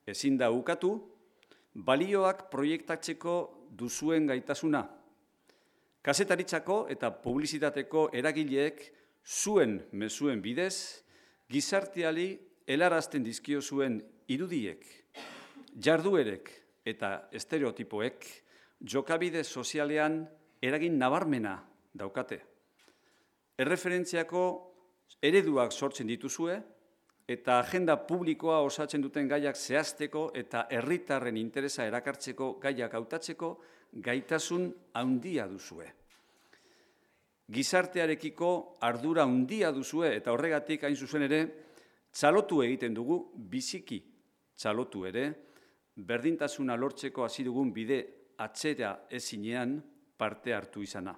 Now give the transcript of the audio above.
ezin da ukatu, balioak proiektatzeko duzuen gaitasuna. Kazetaritzako eta publizitateko eragileek zuen mezuen bidez, gizarteari helarazten dizkio zuen irudiek, jarduerek eta estereotipoek jokabide sozialean eragin nabarmena daukate. Erreferentziako ereduak sortzen dituzue eta agenda publikoa osatzen duten gaiak zehazteko eta herritarren interesa erakartzeko gaiak hautatzeko gaitasun handia duzue. Gizartearekiko ardura handia duzue eta horregatik hain zuzen ere txalotu egiten dugu, biziki txalotu ere, berdintasuna lortzeko hasi dugun bide atzera ezinean parte hartu izana.